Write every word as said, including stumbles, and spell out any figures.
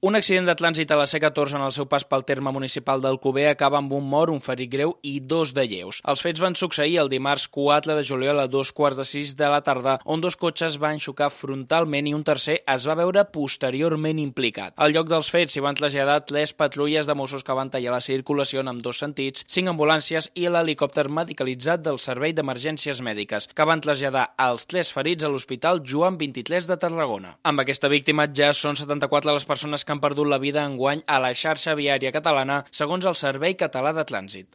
Un accident de trànsit a la C catorze en el seu pas pel terme municipal d'Alcover acaba amb un mort, un ferit greu i dos de lleus. Els fets van succeir el dimarts quatre de juliol a dos quarts de sis de la tarda, on dos cotxes van xocar frontalment i un tercer es va veure posteriorment implicat. Al lloc dels fets s'hi van traslladar tres patrulles de Mossos que van tallar la circulació en ambdós sentits, cinc ambulàncies i l'helicòpter medicalitzat del Servei d'Emergències Mèdiques, que van traslladar els tres ferits a l'Hospital Joan vint-i-tres de Tarragona. Amb aquesta víctima ja són setanta-quatre les persones que han perdut la vida enguany a la xarxa viària catalana, segons el Servei Català de Trànsit.